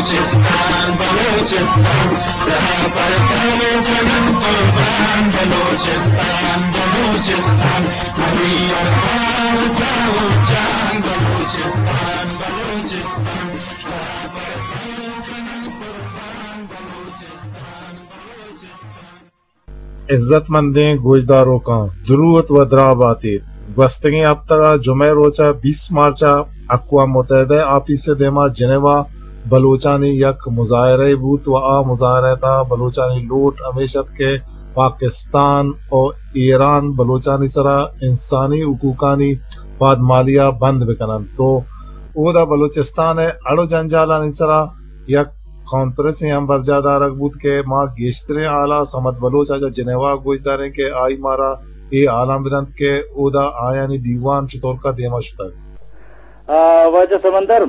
بلوچستان، بلوچستان، سرا پر تن کنم قربان. بلوچستان، بلوچستان، منی ارواح ساہو جان. بلوچستان، بلوچستان، سرا پر تن کنم قربان. بلوچستان، بلوچستان. عزت مندیں گوشداروکاں، دروت و دراہ بات ایت. گوستگیں ہپتگ ء جمعہ ء روچ ء بیست مارچ ء اقوام متحدہ ء آفیس ء دیما جنیوا بلوچانی یک مظاہرہ بوت و آ مظاہرہ ء تہا بلوچانی لوٹ ہمیش ات کہ پاکستان و ایران بلوچانی سرا انسانی حقوقانی پادمالی ء بند بکننت و اودا بلوچستان ء اڑ و جنجالانی سرا یک کانفرنسے ہم برجاہ دارگ بوت کہ ما گیشتریں ہالا صمد بلوچ ء چہ جنیوا گوش داریں کہ آئی مارا اے ہالاں بدنت کہ اودا آیانی دیوان چطورکا دیما شتگ. آ، واجہ سمندر،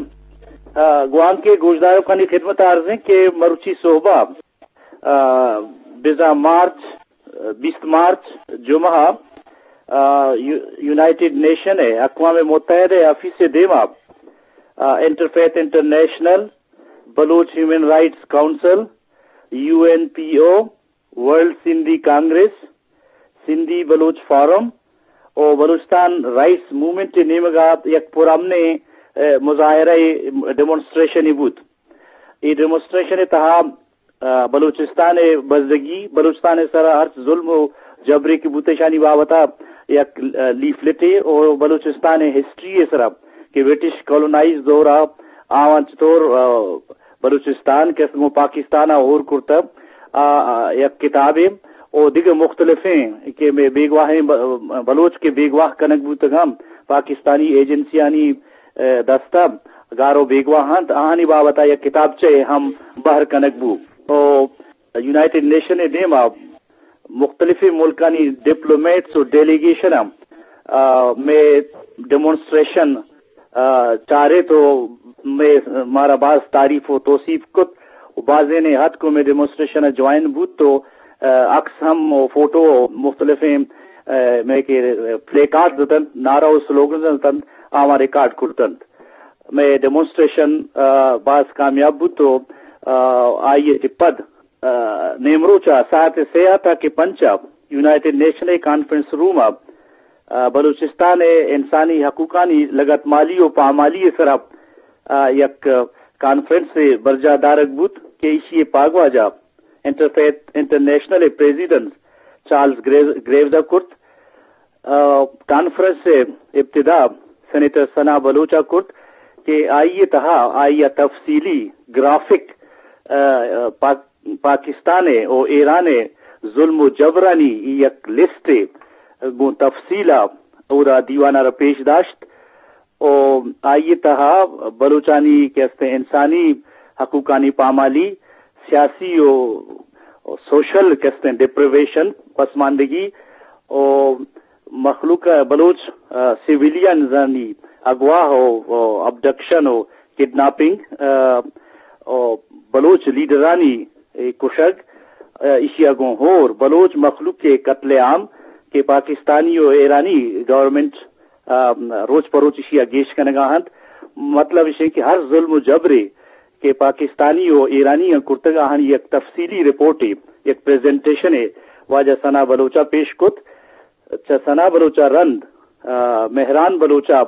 آ، گوانکیں گوشداروکانی خدمت ء عرضیں کہ مروچی صحبا، آ، بزاں مارچ، بیست مارچ، جمعہ، آ، یو-، یونائیٹڈ نیشن ء، اقوام متحدہ ء آفیس ء دیما، آ، انٹرفیتھ انٹرنیشنل، بلوچ ہیومن رائٹس کونسل، یو این پی او، ورلڈ سندھی کانگریس، سندھی بلوچ فورم و بلوچستان رائٹس موومنٹ ء نیمگا یک پرامنیں، آ، مظاہرہ ء ڈیمانسٹریشن بوت. اے ڈیمانسٹریشن ء تہا، آ، بلوچستان ء بزگی، بلوچستان ء سرا ہرچ ظلم و جبرے کہ بوت ایشانی بابت ء یک، آ، لیفلٹے و بلوچستان ء ہسٹری ء سرا کہ برٹش کالونائز دور ء آوان چطور، آ، بلوچستان کہ است گوں پاکستان ء ہور کرتہ، آ، آ، یک کتابے و دگہ مختلفیں کہ مئے بیگواہیں ب-، بلوچ کہ بیگواہ کنگ بوتگ ہم پاکستانی ایجنسیانی، آ، دست ء گار و بیگواہ انت، آہانی بابت ء یک کتابچہ ہم بہر کنگ بو. و یونائیٹڈ نیشن ء دیم ء مختلفیں ملکانی ڈپلومیٹس و ڈیلیگیشن ہم، آ، مئے ڈیمانسٹریشن، آ، چارت و مئے، مارا باز تعریف و توصیف کت و بازینے اتک و مئے ڈیمانسٹریشن ء جوائن بوت و، آ، عکس ہم و فوٹو و مختلفیں، آ، مئے کہ پلے کارڈز اتنت، نعرہ و سلوگنز اتنت، آواں ریکارڈ کرتنت. مئے ڈیمانسٹریشن، آ، باز کامیاب بوت و، آ، آئی ء چہ پد، آ، نیمروچ ء ساعت سے ء تاکہ پنچ ء یونائیٹڈ نیشن ء کانفرنس روم ء، آ، بلوچستان ء انسانی حقوقانی لگتمالی و پامالی ء سرا، آ، یک کانفرنس ء برجاہ دارگ بوت کہ ایشی ء پاگواجہ انٹرفیتھ انٹرنیشنل ء پریزیڈنٹ چارلز گریو-، گریوز ء کرت. آ، کانفرنس ء ابتدا سینیٹر ثنا بلوچ ء کرت کہ آئی ء تہا آئی ء تفصیلی گرافک، آ، پاک-، پاکستان ء و ایران ء ظلم و جبرانی یک لسٹے گوں تفصیل ء اودا دیوان ء را پیش داشت. و آئی ء تہا بلوچانی کہ استیں انسانی حقوقانی پامالی، سیاسی و سوشل کہ استیں ڈپریویشن، پسماندگی و مخلوق بلوچ، آ، سویلینزانی اغوا و، و ابڈکشن و کڈناپنگ، آ، و بلوچ لیڈرانی، اے، کشگ، آ، ایشی ء گوں ہور بلوچ مخلوق ء قتل عام کہ پاکستانی و ایرانی گورنمنٹ آ، روچ پہ روچ ایشی ء گیش کنگ ء انت۔ مطلب ایش انت کہ ہر ظلم و جبرے کہ پاکستانی و ایرانی ء کرتگ، آہانی یک تفصیلی رپورٹے، یک پریزنٹیشنے واجہ ثنا بلوچ ء پیش کت۔ چہ ثنا بلوچ ء رند، آ، مہران بلوچ ء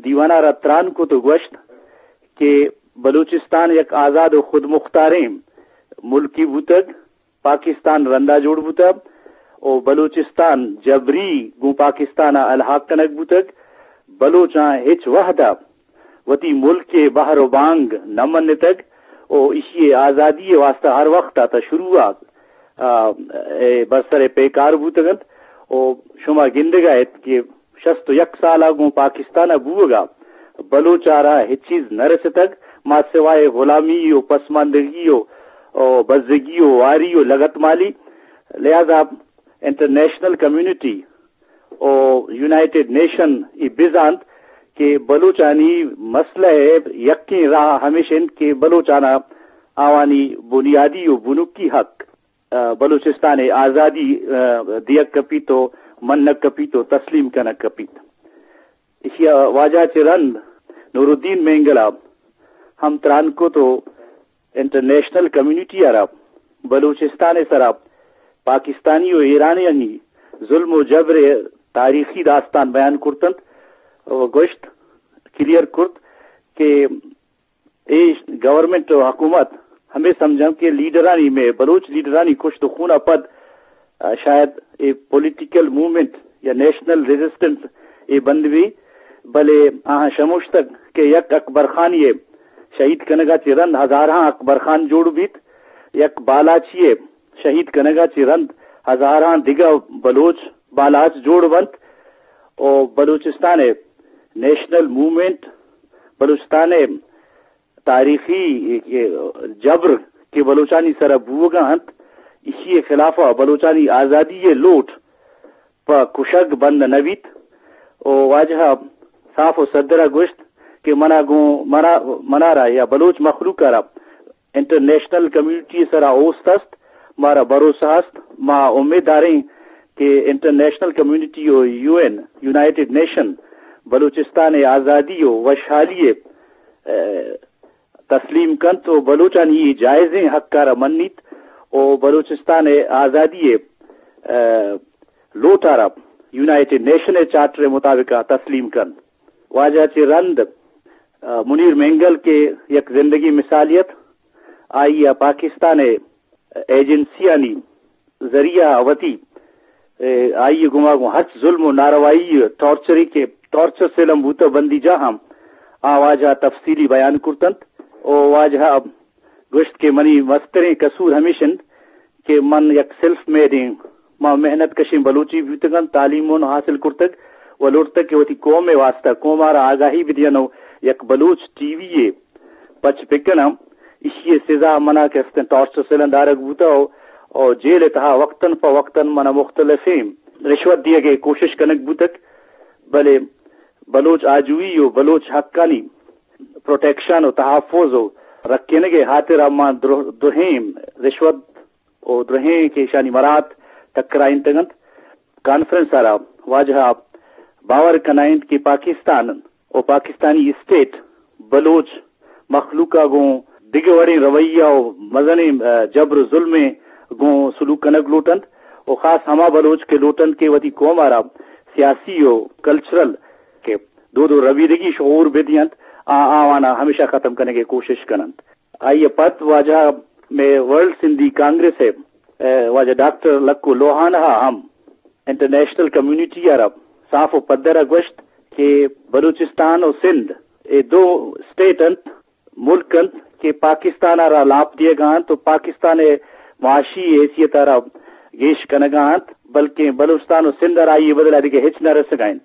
دیوان ء را تران کت و گوشت کہ بلوچستان یک آزاد و خودمختاریں ملکے بوتگ، پاکستان رندا جوڑ بوتگ و بلوچستان جبری گوں پاکستان ء الحاق کنگ بوتگ۔ بلوچاں ہچ وہد ء وتی ملک ء بہر و بانگ نہ منتگ و ایشی ء آزادی ء واستہ ہر وخت ء تا شروع ء، آ، اے برسر ء پیکار بوتگ انت و شما گندگ ء ات کہ شست و یک سال ء گوں پاکستان ء بوگ ء بلوچ ء را ہچ چیز نہ رستگ، ما سوائے غلامی و پسماندگی و، و بزگی و واری و لگتمالی۔ لہذا انٹرنیشنل کمیونٹی و یونائیٹڈ نیشن ای بزانت کہ بلوچانی مسئلہ ء یکیں راہ ہمیش انت کہ بلوچانا آوانی بنیادی و بنکی حق، آ، بلوچستان ء آزادی، آ، دیگ کپیت و منگ کپیت و تسلیم کنگ کپیت۔ ایشی ء واجہ چہ رند نورالدین مینگل ء ہم تران کت و انٹرنیشنل کمیونٹی ءَ را بلوچستان ءِ سرا پاکستانی و ایرانیانی ظلم و جبر ءِ تاریخی داستان بیان کرتنت و گوشت، کلیئر کرت کہ اے گورنمنٹ و حکومت ہمے سمجھنت کہ لیڈرانی، مئے بلوچ لیڈرانی کشت و خون ءَ پد، آ، شاید اے پولیٹیکل موومنٹ یا نیشنل ریزسٹنس اے بند بی، بلے آہاں شموشتگ کہ یک اکبر خانی ءِ شہید کنگ ءَ چہ رند ہزارہاں اکبر خان جوڑ بیت، یک بالاچی ءِ شہید کنگ ءَ چہ رند ہزارہاں دگہ بلوچ بالاچ جوڑ بنت و بلوچستان ءِ نیشنل موومنٹ، بلوچستان ءِ تاریخی جبر کہ بلوچانی سرا بوگا انت، ایشی ءِ خلاف ءَ بلوچانی آزادی ءِ لوٹ پہ کشگ بند نہ بیت۔ و واجہ صاف و صدر ءَ گوشت کہ منا گوں، منا، منارا یا بلوچ مخلوق ءَ را انٹرنیشنل کمیونٹی ءِ سرا اوست است، مارا بھروسہ است، ما امیت داریں کہ انٹرنیشنل کمیونٹی و یو این، یونائیٹڈ نیشن، بلوچستان ءِ آزادی و وشحالی ءَ، اے، تسلیم کنت و بلوچانی اے جائزیں حق ءَ را منیت و بلوچستان ءِ آزادی ءِ، اے، لوٹ ءَ را یونائیٹڈ نیشن ءِ چارٹر ءِ مطابق ءَ تسلیم کنت۔ واجہ چہ رند، اے، منیر مینگل کہ یک زندگی مثالی ات، آئی ءَ پاکستان ءِ ایجنسیانی ذریعہ ءَ وتی، اے، آئی ءِ گوما گوں ہرچ ظلم و ناروائی، ٹارچرے کہ ٹارچر سیل ہم بوتہ بندی جاہ ہم، آ واجہ ءَ تفصیلی بیان کرتنت و واجہ ءَ گوشت کہ منی مستریں قصور ہمیش انت کہ من یک سیلف میڈ ایں، ما محنت کشیں بلوچے بوتگاں، تعلیم اوں حاصل کرتگ و لوٹتگ کہ وتی قوم ءِ واستہ، قوم ءَ را آگاہی بدیاں و یک بلوچ ٹی وی یے پچ بکناں، ایشی ءِ سزا منا کہ استیں ٹارچر سیلاں دارگ بوتہ و، و جیل ءِ تہا وقتاً پہ وقتاً منا مختلفیں رشوت دیگ ءِ کوشش کنگ بوتگ، بلے بلوچ آجوئی و بلوچ حقانی پروٹیکشن و تحفظ و رکینگ ءِ ہاترا ما درو-، درہیں رشوت و درہیں کہ ایشانی مراعات ٹکرائینتگ انت۔ کانفرنس ءَ را واجہ ءَ باور کنائینت کہ پاکستان و پاکستانی اسٹیٹ بلوچ مخلوق ءَ گوں دگہ وڑیں رویہ و مزنیں، اے، جبر و ظلمیں گوں سلوک کنگ لوٹ انت و خاص ہما بلوچ کہ لوٹ انت کہ وتی قوم ءَ را سیاسی و کلچرل کہ دود و ربیدگی شعور بدینت، آ آوان ءَ ہمیشہ ختم کنگ ءِ کوشش کن انت۔ آئی ءَ پد واجہ ءَ مئے ورلڈ سندھی کانگریس ءِ، اے، واجہ ڈاکٹر لکو لوہان ءَ ہم انٹرنیشنل کمیونٹی ءَ را صاف و پدر ءَ گوشت کہ بلوچستان و سندھ اے دو اسٹیٹ انت، ملک انت کہ پاکستان ءَ را لاپ دیگ ءَ انت و پاکستان ءِ معاشی حیثیت ءَ را گیش کنگ ءَ انت، بلکیں بلوچستان و سندھ ءَ را آئی ءِ بدل ءَ دگہ ہچ نہ رسگ ءَ انت۔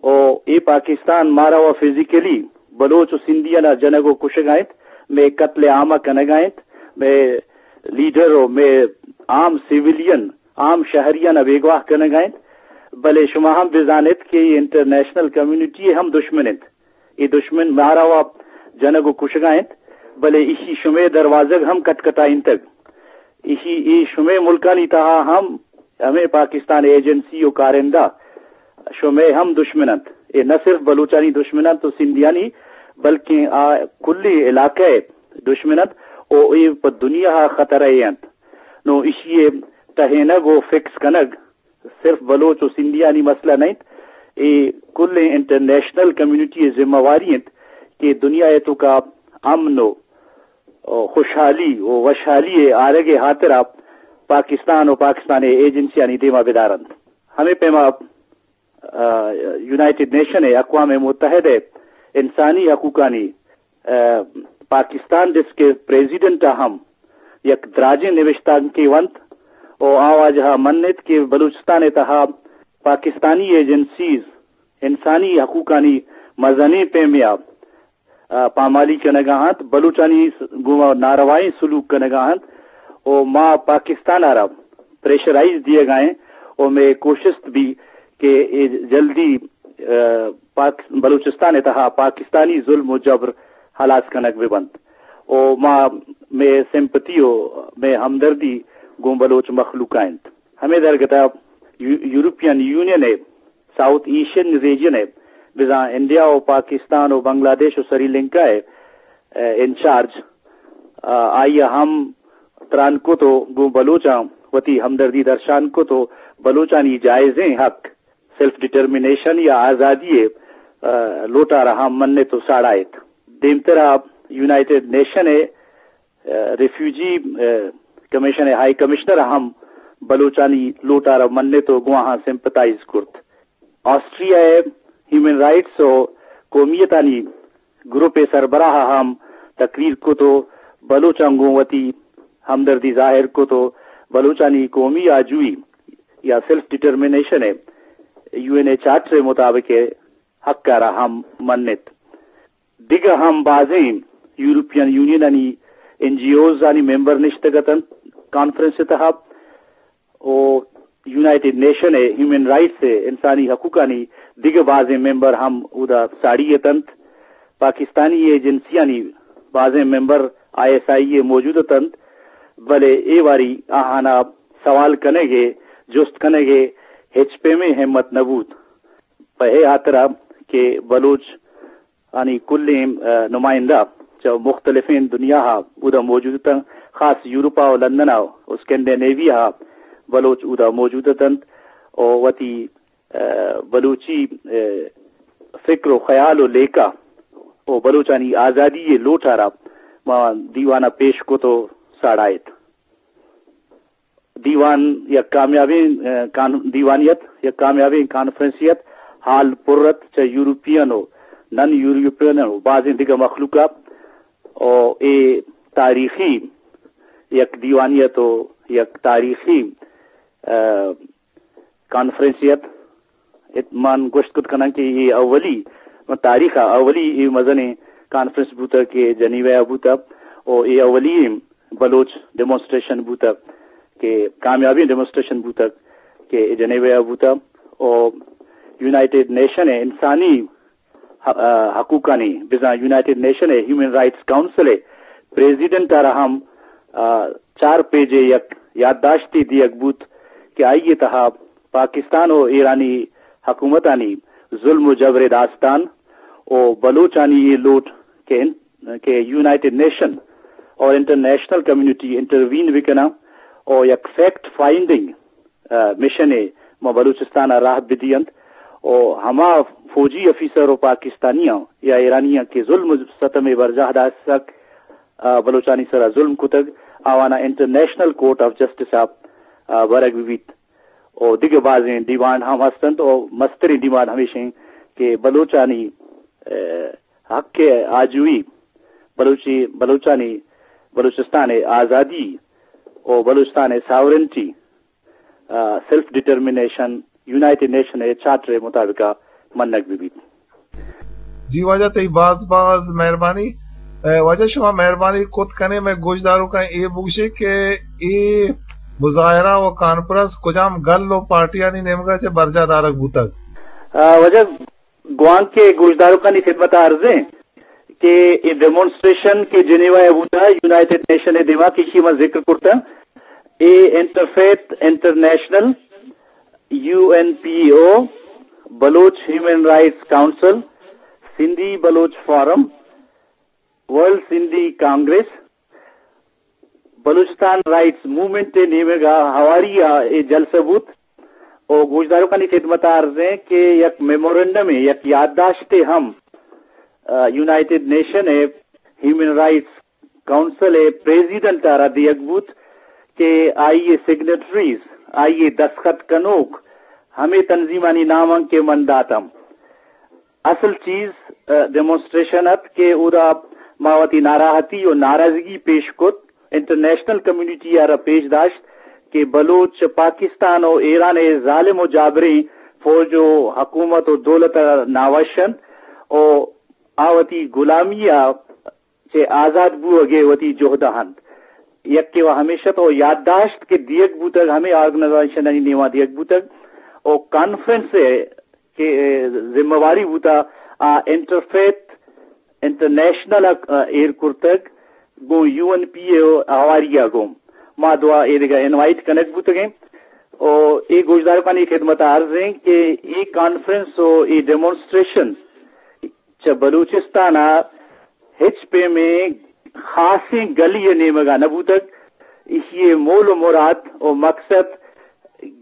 و اے پاکستان مارا و فزیکلی بلوچ و سندھیان ءَ جنگ و کشگ ءَ انت، مئے قتل عام ءَ کنگ ءَ انت، مئے لیڈر و مئے عام سیولین، عام شہریان ءَ بیگواہ کنگ ءَ انت۔ بلے شما ہم بزان ات کہ اے انٹرنیشنل کمیونٹی ءِ ہم دشمن انت۔ اے دشمن مارا و جنگ و کشگ ءَ انت، بلے ایشی شمئے دروازگ ہم کٹ کٹائینتگ۔ ایشی، اے شمئے ملکانی تہا ہم ہمے پاکستان ایجنسی و کارندہ شمئے ہم دشمن انت۔ اے نہ صرف بلوچانی دشمن انت و سندھیانی، بلکیں آ کلی علاقہ ءِ دشمن انت و اے پہ دنیا ءَ خطرہ ئے انت۔ نوں ایشی ءِ ٹہینگ و فکس کنگ صرف بلوچ و سندھیانی مسئلہ نہ انت، اے کلیں انٹرنیشنل کمیونٹی ءِ ذمہ واری انت کہ دنیا ءِ توکا امن و خوشحالی و وشحالی ءِ آرگ ءِ ہاترا پاکستان و پاکستان ءِ ایجنسیانی دیما بدار انت۔ ہمے پیما، آ، یونائیٹڈ نیشن ءِ، اقوام متحدہ ءِ انسانی حقوقانی، آ، پاکستان ڈیسک ءِ پریزیڈنٹ ءَ ہم یک دراجیں نبشتانکے ونت و آ واجہ ءَ منت کہ بلوچستان ءِ تہا پاکستانی ایجنسیز انسانی حقوقانی مزنیں پیمے ءَ، آ، پامالی کنگ ءَ انت، بلوچانی س-، گوما ناروائیں سلوک کنگ ءَ انت و ما پاکستان ءَ را پریشرائز دیگ ءَ ایں و مئے کوشست بی کہ اے جلدی، آ، پاک-، بلوچستان ءِ تہا پاکستانی ظلم و جبر ہلاس کنگ بہ بنت و ما، مئے سمپتی و مئے ہمدردی گوں بلوچ مخلوق ءَ انت۔ ہمے درگت ءَ یو-، یورپین یونین ءِ ساؤتھ ایشین ریجن ءِ بزاں انڈیا و پاکستان و بنگلہ دیش و سری لنکا ءِ، اے، انچارج آ، آئی ءَ ہم تران کت و گوں بلوچاں وتی ہمدردی درشان کت و بلوچانی جائزیں حق سیلف ڈٹرمنیشن یا آزادی ءِ، آ، لوٹ ءَ را ہم منت و ساڑایت۔ دیمترا یونائیٹڈ نیشن ءِ، آ، ریفیوجی، آ، کمیشن ءِ ہائی کمشنر ءَ ہم بلوچانی لوٹ ءَ را منت و گوں آہاں سمپتائز کرت۔ آسٹریا ءِ ہیومن رائٹس و قومیتانی گروپ ءِ سربراہ ءَ ہم تقریر کت و بلوچاں گوں وتی ہمدردی ظاہر کت و بلوچانی قومی آجوئی یا سیلف ڈٹرمنیشن ءِ یو این ءِ چارٹر ءِ مطابق ءِ حق ءَ را ہم منت۔ دگہ ہم بازیں یورپین یونینانی این جی اوز آنی ممبر نشتگ اتنت کانفرنس ءِ تہا۔ و یونائیٹڈ نیشن ءِ ہیومن رائٹس ءِ انسانی حقوقانی دگہ بازیں ممبر ہم اودا ساڑی اتنت۔ پاکستانی ایجنسیانی بازیں ممبر آئی ایس آئی ءَ موجود اتنت، بلے اے واری آہانا سوال کنگ ءِ، جست کنگ ءِ ہچ پیمیں ہمت نہ بوت۔ پہ اے ہاترا کہ بلوچ آنی کلیں، آ، نمائندہ چہ مختلفیں دنیا ءَ اودا موجود اتنت، خاص یورپ ءَ و لندن ءَ و اسکینڈینیویا ءَ بلوچ اودا موجود اتنت و وتی، آ، بلوچی، آ، فکر و خیال و لیکہ و بلوچانی آزادی ءِ لوٹ ءَ را ما دیوان ءَ پیش کت و ساڑایت۔ دیوان یک کامیابیں، آ، کان-، دیوانی ات، یک کامیابیں کانفرنسے ات، ہال پر ات چہ یورپین و نن یورپین و بازیں دگہ مخلوق ءَ۔ و اے تاریخی یک دیوانی ات و یک تاریخی، آ، کانفرنسے ات۔ ات-، من گوشت کت کناں کہ اے اولی، من تاریخ ءَ اولی اے مزنیں کانفرنس بوتگ کہ جنیوا ءَ بوتگ و اے اولی بلوچ ڈیمونسٹریشن بوتگ کہ کامیابیں ڈیمونسٹریشن بوتگ کہ جنیوا ءَ بوتگ و یونائیٹڈ نیشن ءِ انسانی ح-، آ، حقوقانی، بزاں یونائیٹڈ نیشن ءِ ہیومن رائٹس کونسل ءِ پریزیڈنٹ ءَ را ہم، آ، چار پیج ءِ یک یادداشتے دیگ بوت کہ آئی ءِ تہا پاکستان و ایرانی حکومتانی ظلم و جبر ءِ داستان و بلوچانی اے لوٹ کہ ان-، کہ یونائیٹڈ نیشن اور انٹرنیشنل کمیونٹی انٹروین بکناں و یک فیکٹ فائنڈنگ، آ، مشنے ماں بلوچستان ءَ راہ بدینت و ہما فوجی آفیسر و پاکستانیاں یا ایرانیاں کہ ظلم و ستم ءِ برجاہ داشتگ، آ، بلوچانی سرا ظلم کتگ، آواناں انٹرنیشنل کورٹ آف جسٹس ءَ، آ، برگ ببیت۔ و دگہ بازیں ڈیمانڈ ہم ہستنت و مستریں ڈیمانڈ ہمیش انت کہ بلوچانی، آ، حق آجوئی، بلوچی، بلوچانی، بلوچستان ءِ آزادی و بلوچستان ءِ ساورنٹی، آ، سیلف ڈٹرمنیشن یونائیٹڈ نیشن ءِ چارٹر ءِ مطابق ءَ منگ بہ بیت۔ جی واجہ، تئی باز باز مہربانی۔ اے، واجہ، شما مہربانی کت کنے مئے گوشداروکاں اے بگوشے کہ اے مظاہرہ و کانفرنس کجام گل و پارٹیانی نیمگا چہ برجاہ دارگ بوتگ؟ آ، واجہ، گوانکیں گوشداروکانی خدمت ءَ عرض ایں کہ اے ڈیمونسٹریشن کہ جنیوا ءَ بوتا، یونائیٹڈ نیشن ءِ دیما کہ ایشی ما ذکر کرتا، اے انٹرفیتھ انٹرنیشنل، یو این پی او، بلوچ ہیومن رائٹس کونسل، سندھی بلوچ فورم، ورلڈ سندھی کانگریس، بلوچستان رائٹس موومنٹ ءِ نیمگ ءَ ہواری ءَ اے جلسہ بوت و گوشداروکانی خدمت ءَ عرض ایں کہ یک میمورنڈمے، یک یادداشتے ہم، آ، یونائیٹڈ نیشن ءِ ہیومن رائٹس کونسل ءِ پریزیڈنٹ ءَ را دیگ بوت کہ آئی ءِ سگنیٹریز، آئی ءِ دستخط کنوک ہمے تنظیمانی نام انت کہ من داتم۔ اصل چیز، آ، ڈیمونسٹریشن ات کہ اودا ما وتی ناراحتی و ناراضگی پیش کت، انٹرنیشنل کمیونٹی ءَ را پیش داشت کہ بلوچ پاکستان و ایران ءِ ظالم و جابریں فوج و حکومت و دولت ءَ ناوش انت و آ وتی غلامی ءَ چہ آزاد بوگ ءِ وتی جہد ءَ انت۔ یکے و ہمیش ات و یادداشت کہ دیگ بوتگ، ہمے آرگنائزیشنانی نیما دیگ بوتگ و کانفرنس ءِ کہ ذمہ واری بوتا، آ انٹرفیتھ انٹرنیشنل ءَ ایر کرتگ، گوں یو این پی او ہواری ءَ گوں ما دوا اے دگہ انوائٹ کنگ بوتگیں و اے گوشدارکانی خدمت ءَ عرض ایں کہ اے کانفرنس و اے ڈیمونسٹریشن چہ بلوچستان ءَ ہچ پیمیں خاصیں گلی ءِ نیمگ ءَ نہ بوتگ۔ ایشی ءِ مول ءُ مراد ءُ مقصد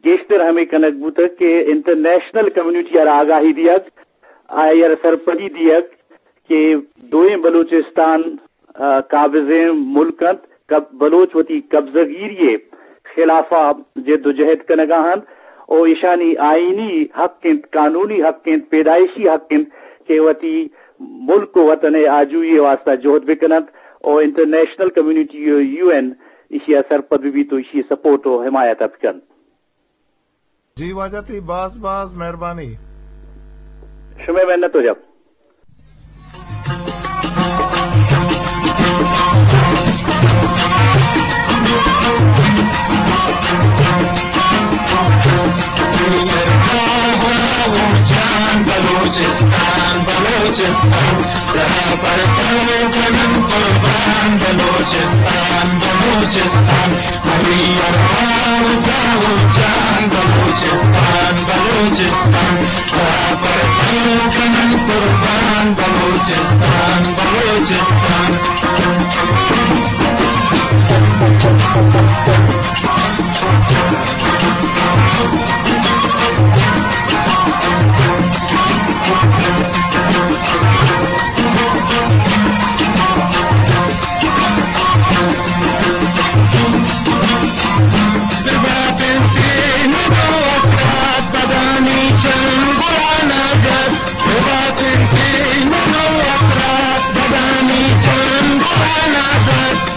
گیشتر ہمے کنگ بوتگ کہ انٹرنیشنل کمیونٹی ءَ را آگاہی دیگ، آئی ءَ را سرپدی دیگ کہ دوئیں بلوچستان، آ، قابضیں ملک انت، کب-، بلوچ وتی قبضہ گیری ءِ خلاف ءَ جد ءُ جہد کنگ ءَ انت ءُ ایشانی آئینی حق انت، قانونی حق انت، پیدائشی حق انت کہ وتی ملک ءُ وطن ءِ آجوئی ءِ واستہ جہد بہ کن انت ءُ انٹرنیشنل کمیونٹی ءُ یو این ایشی ءَ سرپد بہ بیت ءُ ایشی ءِ سپورٹ ءُ حمایت ءَ بہ کنت۔ جی واجہ، تئی باز باز مہربانی۔ شمئے منت واجہ۔ بلوچستان، بلوچستان، سرا پر تو کنن قربان، بلوچستان، بلوچستان، منی ارواح و ساہ و جان، بلوچستان، بلوچستان، سرا پر تو کنن قربان، بلوچستان، بلوچستان۔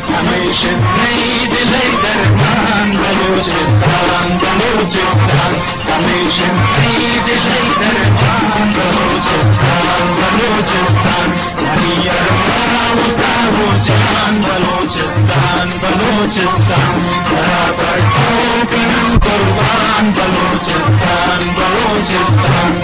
ہمیشن نئی دلئی درمان بلوچستان، بلوچستان، ہمیشن نئی دلئی درمان بلوچستان، بلوچستان، منی ارواح و ساہ و جان بلوچستان، بلوچستان، سرا پر تو کنن قربان بلوچستان، بلوچستان۔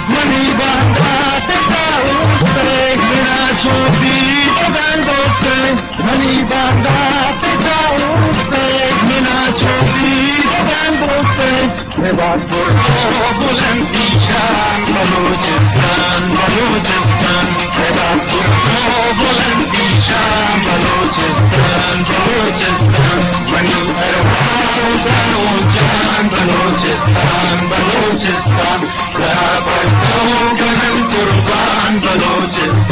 منی باندات ءَ اوشتئے، منا چو دیدگان دوستئے۔ منی باندات ءَ اوشتئے، منا چو دیدگان دوستئے۔ نبات پر تو بلندی شان بلوچستان، بلوچستان۔ نبات پر تو بلندی شان بلوچستان، بلوچستان۔ منی ارواح و ساہ و جان بلوچستان، بلوچستان۔ سرا پر تو کنن قربان بلوچستان۔